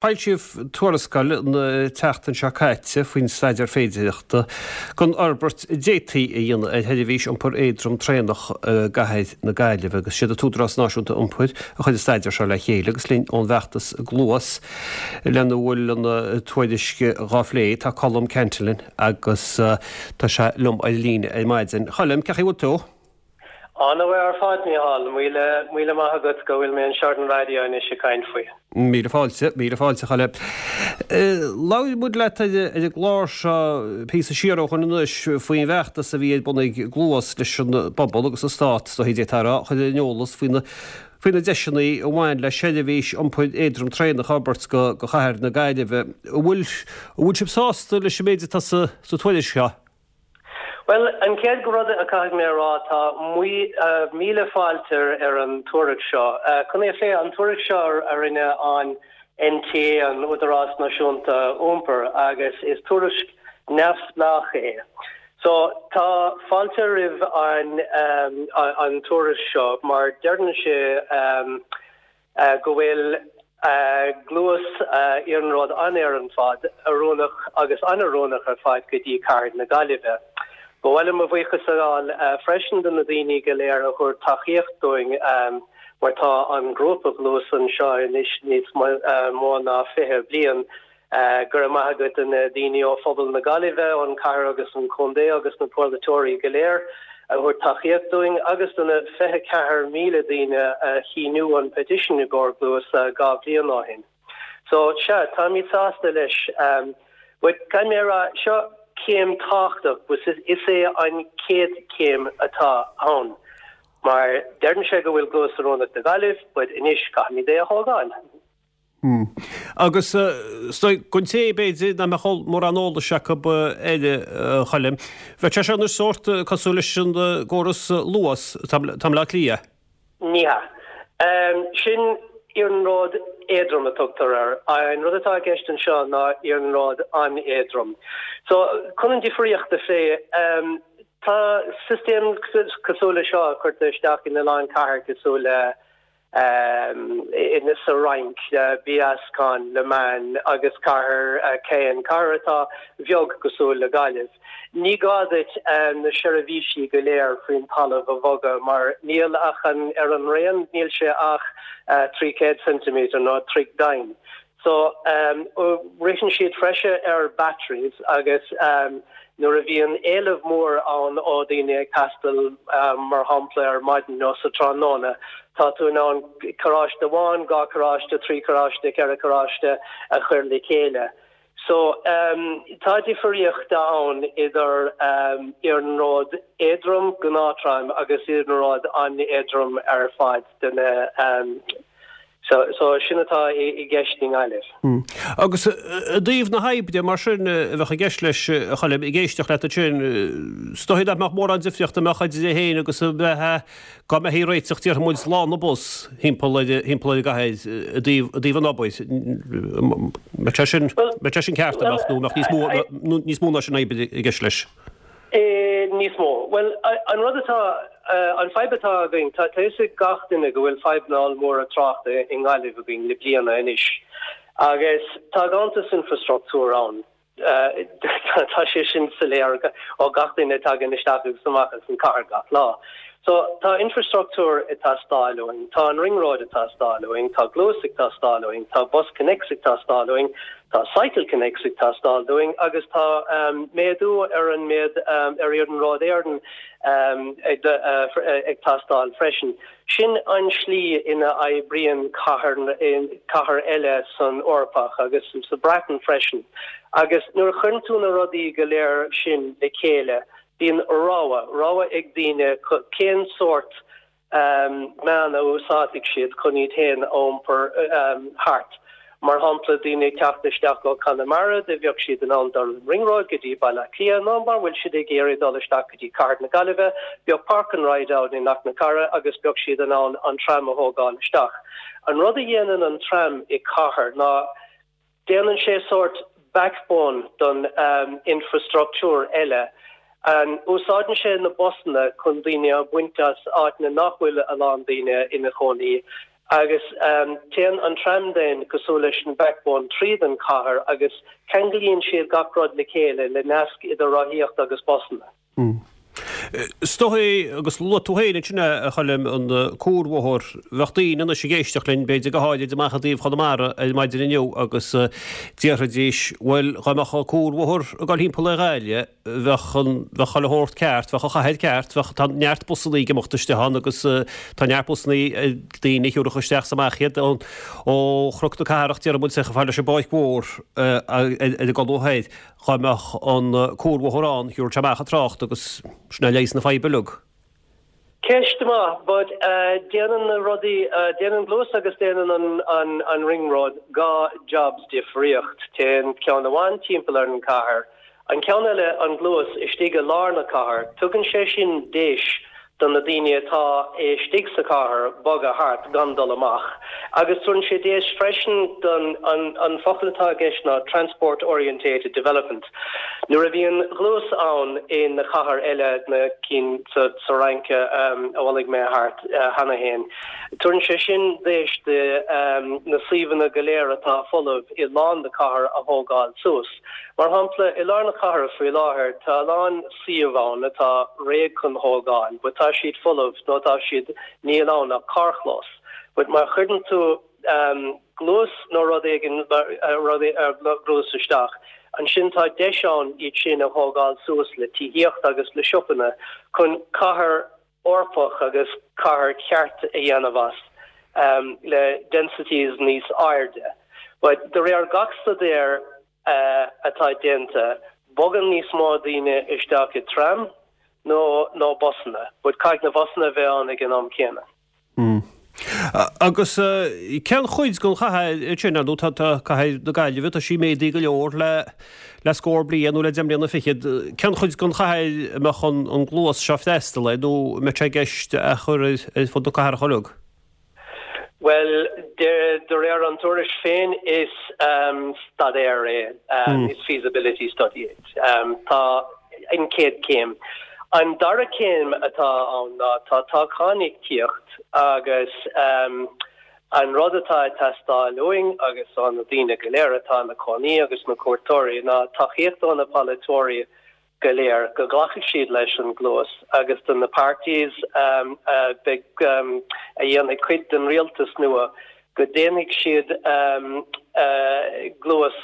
Foilsíodh tuarascáil an tseachtain seo caite faoin staidéar féidearthachta don fhorbairt a d'fhéadfaí a dhéanamh ar sheirbhís iompair éadrom traenach i gcathair na Gaillimhe agus siad an tÚdarás Náisiúnta Iompair a chuir an staidéar seo le chéile agus linn ón bhfeachtas Gluais lena bhfuil an tuairisc dhá phlé tá Colm Cantillon agus tá sé liom ar líne ar maidin. Choilm, cén chaoi a bhfuil tú? An-mhaith ar fad, Mícheál. Míle, míle maith agat go bhfuil mé anseo ar an raidió anois ag caint faoi. Míle fáilte, míle fáilte, a Choilm. Labhair muid leat ar an gclár seo píosa siar ó shoin anois faoin bhfeachtas a bhí ar bun ag Gluais leis an bpobal agus an stát, is dóichí d'fhéadfá a rá, a chur ar an eolas faoi na faoi na deiseanna a bhain le seirbhís iompair éadrom traenach a fhorbairt go go chathair na Gaillimhe. An bhfuil, an bhfuil sibh sásta leis an méid atá sa sa tuairisc seo? Bhuel, an chéad rud a caithfidh mé a rá, tá míle fáilte ar an tuairisc seo. Chun é a phlé, an tuairisc seo a rinne an NTA, an Údarás Náisiúnta Iompair, agus is tuairisc neamhspleách é. So, tá fáilte roimh an an tuairisc seo mar deireann sé go bhfuil gluais iarnród an-ar fad, oiriúnach agus an-oiriúnach ar fad go dtí cathair na Gaillimhe. Ba mhaith liom mo bhuíochas a ghabháil freisin do na daoine go léir a thabhair tacaíocht dúinn mar tá an grúpa Gluais anseo anois níos mó ná 20 bliain Go raibh maith agat do na daoine ó phobal na Gaillimhe, ón cathair agus an contae agus na polaiteoirí go léir a thabhair tacaíocht dúinn agus do na 24,000 daoine a shíniú an petition i gcomhair Gluais 2 bhliain ó shin. So, sea, táimid sásta leis. But caithfidh mé a rá, seo céim tábhachtach but is é an chéad chéim atá ann. Mar deireann sé go bhfuil Gluais oiriúnach do Ghaillimh but anois caithfimid é a thógáil. Agus is dóigh, don té, b'fhéidir, nach mbeadh mórán eolais acu air, a Choilm, bheadh sé seo anois sórt cosúil leis an gcóras Luas atá i mBleá Cliath. Ní hea. Sin iarnród éadrom a tugtar air. An rud atá i gceist anseo ná iarnród an-éadrom. So, chun an difríocht a phlé, tá sistéam cosúil le seo curtha isteach in a lán cathair cosúil le sa Fhrainc, Besançon, Le Mans agus cathair Caen, cathair atá bheag cosúil le Gaillimh. Ní gá duit na seirbhísí go léir faoin talamh a bhogadh mar níl ach an ar an raon níl sé ach 300 ceintiméadar nó troigh domhain. So, ritheann siad freisin ar batteries agus nuair a bhíonn éileamh mór ann ó daoine ag taisteal mar shampla ar maidin nó sa tráthnóna, tá tú in ann carráiste amháin, 2 carráiste, 3 carráiste, 4 carráiste a chur le chéile. So, tá difríocht ann idir iarnród éadrom, gnáth-tram, agus iarnród an-éadrom ar fad de na So, so sin atá i gceist i nGaillimh. Agus i dtaobh na hoibre, mar sin, a bheadh i gceist leis, a Choilm, ag éisteacht leat ansin, is dóigh nach mbeadh mórán difríochta a mbeadh idir é féin agus a bheith, dá mbeifí ag réiteach, déarfaidh muid, lána bus thimpeall ar, thimpeall ar an gcathair i dtaobh, i dtaobh an obair. Mbeadh sé sin, mbeadh sé sin ceart, an mbeadh, nó mbeadh níos mó, níos mó ná sin oibre i gceist leis? Níos mó. Bhuel, an rud atá, an fadhb atá againn, tá a fhios ag gach duine go bhfuil fadhbanna ollmhóra tráchta i nGaillimh againn le bliana anois agus tá ganntanas infreastruchtúir ann. Tá sé sin soiléir ó gach duine a tagann isteach agus amach as an cathair gach lá. So, tá infreastruchtúr ag teastáil uainn, tá an Ring Road ag teastáil uainn, tá Gluais ag teastáil uainn, tá BusConnects ag teastáil uainn, tá Cycle Connects ag teastáil dúinn agus tá méadú ar an méad ar Iarnród Éireann ag teastáil freisin. Sin an slí ina oibríonn cathair cathair eile san Eorpach agus sa Bhreatain freisin. Agus nuair a chuireann tú na rudaí go léir sin le chéile, Bíonn rogha, rogha ag daoine cén sórt meán a úsáidfidh siad chun iad féin a iompar thart. Mar shampla, daoine ag teacht isteach ó Conamara, do bheadh siad in ann dul an Ring Road go dtí Baile Átha Cliath nó mura bhfuil siad ag iarraidh dul isteach go dtí Cathair na Gaillimhe, bheadh Park and Ride ann i Knocknacarra agus bheadh siad in ann an tram a thógáil isteach. An rud a dhéanann an tram i cathair ná Déanann sé sórt backbone don infreastruchtúr eile. Úsáideann sé na busanna chun daoine a bhaint as áiteanna nach bhfuil a lán daoine ina chónaí. Agus téann an tram then cosúil leis an backbone tríd an cathair agus ceanglaíonn siad gach rud le chéile le nasc idir rothaíocht agus busanna. Is dóigh, agus luaigh tú féin ansin a Choilm, an cuarbhóthar, bheadh daoine anois ag éisteacht linn, b'fhéidir go háirid amach i dtaobh Chonamara ar maidin inniu agus déarfaidís, bhuel, dhá mbeadh an cuarbhóthar ag dul thimpeall ar Ghaillimh, bheadh an, bheadh chuile shórt ceart, bheadh an chathair ceart, bheadh, tá neart busannaí ag imeacht isteach ann agus tá neart busannaí ag daoine a thiúrfadh isteach is amach iad ó Chnoc na Cathrach, déarfaidh muid, chomh fada leis an bPáirc Mhór ar an gConradh Thoir. Dhá mbeadh an cuarbhóthar ann, thiúrfadh sé amach an trácht agus sin é leigheas na faidhbe uilig. Ceist maith, but déanann na rudaí, déanann Gluas agus déanann an an Ring Road 2 jobs difríocht. Téann ceann amháin timpeall ar an cathair, an ceann eile, an Gluas, istigh i lár na cathair. Tugann sé sin deis do na daoine atá istigh sa chathair bogadh thart gan dul amach. Agus tugann sé deis freisin don, an focal atá i gceist ná transport orientated development. Nuair a bhíonn Gluas ann i na cathair eile, na cinn sa Fhrainc a bhuaigh mé thart cheana féin, tugann sé sin deis do na suíomhanna go léir atá folamh i lár na cathair a thógáil suas. Mar shampla, i lár na cathair faoi láthair tá a lán suíomh ann atá réidh chun thógáil but tá siad folamh nó tá siad, níl ann ach carrchlós. But má chuireann tú gluas nó rud éigin, rud gluas isteach, ansin tá deis ann iad sin a thógáil suas le tithíocht agus le siopanna chun cathair Eorpach agus cathair cheart a dhéanamh as, le densities níos airde. But de réir gach staidéar atá déanta, bogann níos mó daoine isteach i tram nó nó busanna, but caithfidh na busanna a bheith ann ag an am céanna. Agus cén chuid den chathair sin, ar ndóigh tá cathair na Gaillimhe, tá sí méadaithe go leor le le scór bliain nó le deich mbliana fichead, cén chuid den chathair a mbeadh an gluas seo freastal air nó an mbeadh sé i gceist a chur ar fud na cathrach uilig? Bhuel, de réir an tuairisc féin is staidéar é, is feasibility study é. Tá an chéad chéim. An dara céim atá ann ná tá toghchán ag tíocht agus an rud atá ag teastáil uainn agus ó na daoine go léir atá ina cónaí agus na cuairteoirí ná tacaíocht ó na polaiteoirí go léir go nglacfaidh siad leis an gluas agus do na parties a bheidh a dhéanfaidh cuid den rialtas nua go déanfaidh siad gluas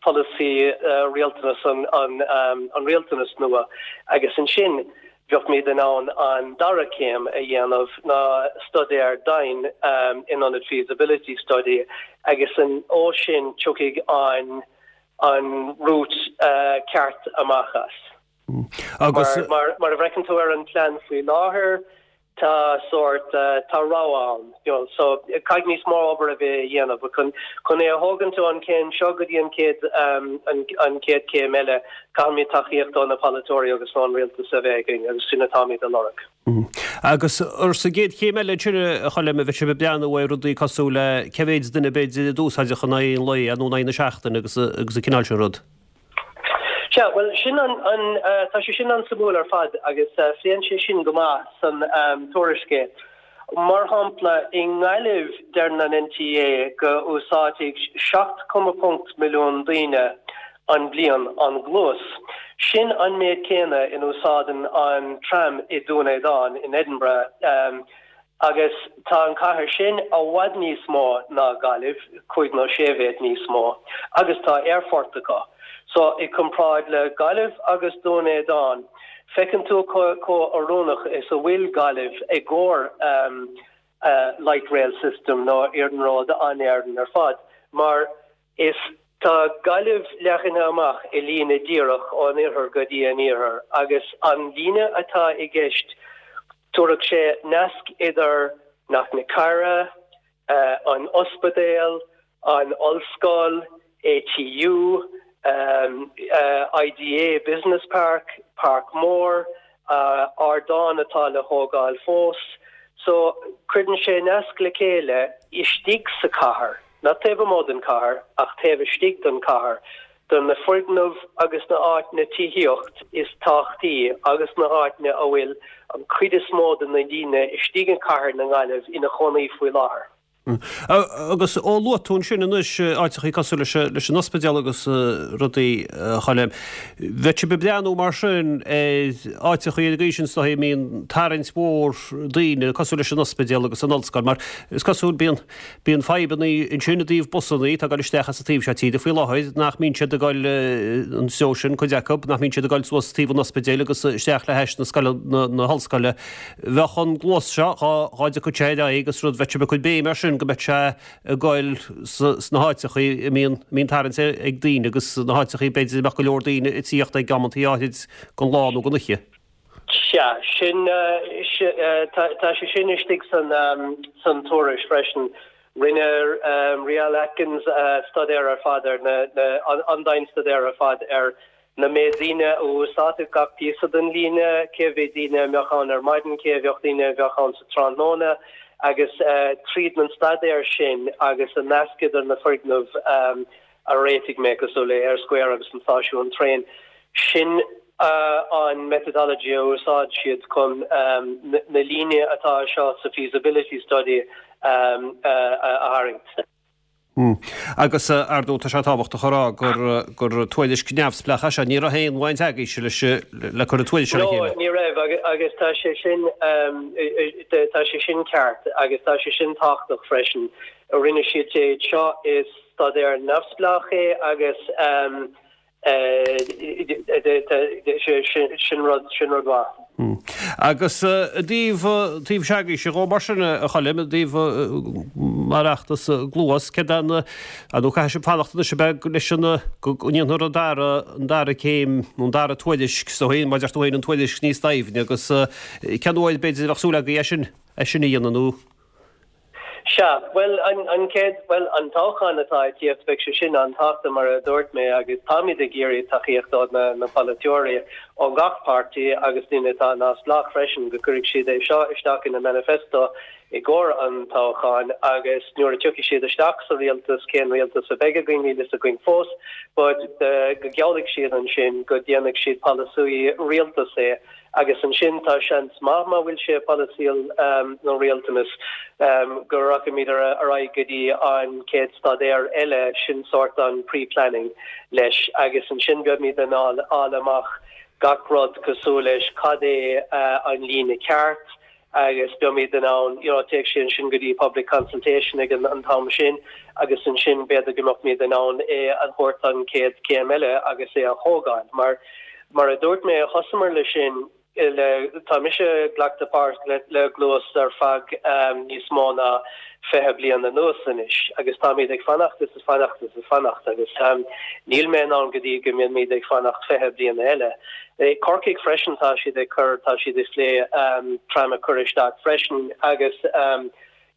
polasaí rialtanas an rialtanas nua agus ansin bheadh muid in ann an dara céim a dhéanamh ná staidéar domhain in ionad feasibility study agus ó sin tiocfaidh an an route ceart amach as. Agus. Mar mar a bhfeiceann tú ar an plean faoi láthair, tá sórt, tá rogha ann, you know, so caithfidh níos mó obair a bheith a dhéanamh but chun chun é a thógaint ón chéim seo go dtí an chéad an an chéad chéim eile, caithfimid tacaíocht ó na polaiteoirí agus ón rialtas a bheith againn agus sin atáimid a lorg. Agus ar sa gcéad chéim eile ansin, a Choilm, a bheidh sibh ag breathnú ar rudaí cosúil le cé mhéid duine b'fhéidir a d'úsáidfeadh in aghaidh an lae nó in aghaidh na seachtaine agus agus an cineál sin rud. Sea, bhuel, sin an, an, tá sé sin an-suimiúil ar fad agus pléann sé sin go maith san tuairisc é. Mar shampla, i nGaillimh deireann an NTA go úsáidfidh 7.5 milliún daoine an bhliain an Gluas. Sin an méid céanna in úsáideann an tram i Dún Éideann in Edinburgh agus tá an cathair sin i bhfad níos mó ná Gaillimh, cúig nó sé mhéad níos mó, agus tá aerfort acu. So i comparáid le Gaillimh agus Dún Éideann, feiceann tú chomh oiriúnach is a bhfuil Gaillimh i gcomhair light rail system nó iarnród an-éireann ar fad mar Is tá Gaillimh leathnaithe amach i líne díreach ón oirthear go dtí an iarthar agus an líne atá i gceist tabharfaidh sé nasc idir Cnoc na Cara, an ospidéal, an ollscoil, ATU, IDA Business Park, Páirc Mór, ardán atá le thógáil fós. So cuireann sé nasc le chéile istigh sa chathair. Not taobh amuigh den chathair, ach taobh istigh den chathair. do na foirgnimh agus na áiteanna tithíocht is tábhachtaí agus na háiteanna a bhfuil an cuid is mó de na daoine istigh i gcathair na Gaillimh ina chónaí faoi láthair. Agus ó luaigh tú ansin anois áiteachaí cosúil leis an ospidéal agus rudaí, a Choilm, bheadh sibh ag breathnú mar sin ar áiteachaí ar an gcaoi sin is dóigh a mbíonn tarraingt mhór daoine cosúil leis an ospidéal agus an ollscoil mar is cosúil bíonn bíonn fadhbanna ansin i dtaobh busannaí atá ag dul isteach as an taobh seo tíre faoi láthair nach mbíonn siad ag dul an treo sin, cuid acu, nach mbíonn siad ag dul suas taobh an ospidéil agus isteach le hais na scoile na hollscoile. Bheadh an Gluas seo, dhá dtiocfadh sé ar aghaidh agus rud, bheadh sibh ag cur béim air sin go mbeadh sé ag goil sna háiteachaí a mbíonn tarraingt ag daoine agus na háiteachaí b'fhéidir a mbeadh go leor daoine ag tíocht ag amantaí áithrid den lá nó den oíche. Sea, sin, tá sé sin istigh san tuairisc freisin. Rinne Riail Atkins staidéar ar fad ar na, an-dian-staidéar ar fad ar na méid daoine a úsáidfeadh gach píosa den líne, cé mhéad daoine a mbeadh ann ar maidin, cé mhéad daoine a bheadh ann sa tráthnóna, agus tríd an staidéar sin agus an nasc idir na foirgnimh a réitigh mé, cosúil le Eyre Square agus an stáisiún traein, sin an methodology a úsáid siad chun na líne atá seo sa feasibility study a tharraingt. Agus, ar ndóigh, tá sé tábhachtach a rá gur gur tuairisc neamhspleách é seo. Ní raibh aon bhaint agaibhse leis le cur an tuairisc seo le chéile. No, ní raibh agus tá sé sin tá sé sin ceart agus tá sé sin tábhachtach freisin. Rinne siad é seo, is staidéar neamhspleách é agus Sin rud, sin rud mhaith. Agus i dtaobh, taobh s'agaibhse dhó mar sin, a Choilm, i dtaobh mar fheachtas Gluas, céard é an, ar ndóigh caithfidh sibh fanacht anois ab ea leis an, go ndéanfar an dara, an dara céim nó an dara tuairisc, is dóigh, mar a deir tú féin, an tuairisc níos doimhne agus cén uair b'fhéidir a bheadh súil agaibh é sin, é sin a dhéanamh nó? Sea, bhuel, an chéad, bhuel, an toghchán atá ag tíocht, beidh sé sin an-tábhachtach, mar a dúirt mé, agus táimid ag iarraidh tacaíocht ó na polaiteoirí ó gach páirtí agus daoine atá neamhspleách freisin, go gcuirfidh siad é seo isteach ina manifesto i gcomhair an toghcháin agus nuair a tiocfaidh siad isteach sa rialtas, cén rialtas a bheidh againn, níl fhios againn fós, but go geallfaidh siad ansin go déanfaidh siad polasaí rialtais é. Agus ansin tá seans maith, má bhfuil sé polasaí nó rialtanas, go rachaimid ar aghaidh go dtí an chéad staidéar eile, sin sórt an pre-planning leis, agus ansin beimid in ann fháil amach gach rud cosúil leis cad é an líne ceart agus beimid in ann, you know, téigh sé ansin go dtí public consultation ag an t-am sin agus ansin b'fhéidir go mbeimid in ann é a thabhairt an chéad chéim eile agus é a thógáil mar Mar a dúirt mé, thosamar le sin le, tá mise ag glacadh páirt le Gluas ar feadh níos mó ná 20 bliain anuas anois agus táimid ag fanacht is ag fanacht is ag fanacht agus níl mé in ann go dtí go mbeimid ag fanacht 20 bliana eile. I Corcaigh freisin tá siad ag cur, tá siad ag plé tram a chur isteach freisin agus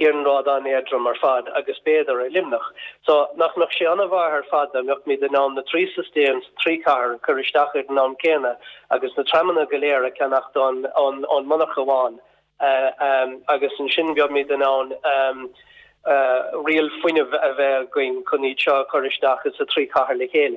iarnród an-éadrom ar fad agus b'fhéidir i Luimneach. So, nach mbeadh sé an-mhaith ar fad dá mbeadh in ann na trí system sa trí chathair a chur isteach ar an am céanna agus na tramanna go léir a cheannacht ón monarcha amháin agus ansin beimid in ann riail fuinnimh a bheith againn chun iad seo a chur isteach sa trí chathair le chéile.